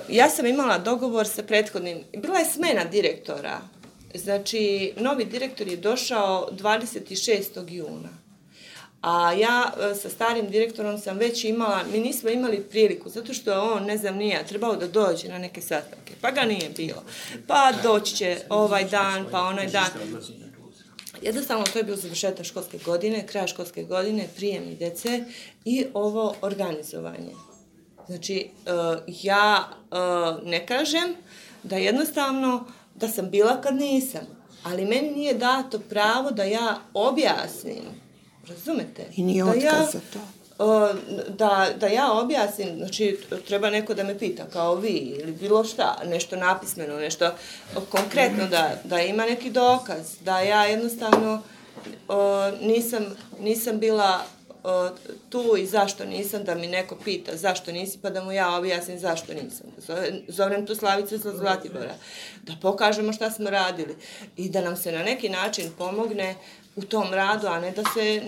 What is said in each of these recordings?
Ja sam imala dogovor sa prethodnim, bila je smena direktora, znači novi direktor je došao 26. juna, a ja sa starim direktorom sam već imala, mi nismo imali priliku, zato što on, ne znam, nije trebao da dođe na neke sastanke, pa ga nije bilo, pa doći će ovaj dan, pa onaj dan. Jednostavno, to je bio završetak školske godine, kraj školske godine, prijem djece i ovo organizovanje. Znači, ja ne kažem da jednostavno da sam bila kad nisam, ali meni nije dato pravo da ja objasnim, razumete? I nije otkaz za to. Da ja objasnim, znači treba neko da me pita kao vi ili bilo šta, nešto napismeno, nešto konkretno da ima neki dokaz, da ja jednostavno nisam bila tu i zašto nisam, da mi neko pita zašto nisi, pa da mu ja objasnim zašto nisam. Zovem tu Slavicu sa Zlatibora, da pokažemo šta smo radili i da nam se na neki način pomogne u tom radu, a ne da se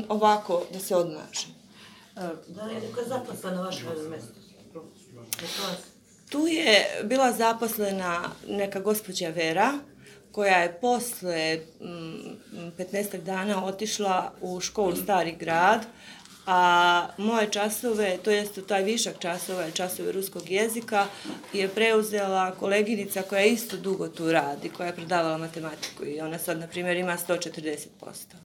ovako, da se odmaže. Da li je neka zaposlena vaša mjesto? Tu je bila zaposlena neka gospođa Vera, koja je posle 15 dana otišla u školu Stari grad, a moje časove, to jest taj višak časova, časove ruskog jezika, je preuzela koleginica koja isto dugo tu radi, koja je predavala matematiku i ona sad, na primjer, ima 140%.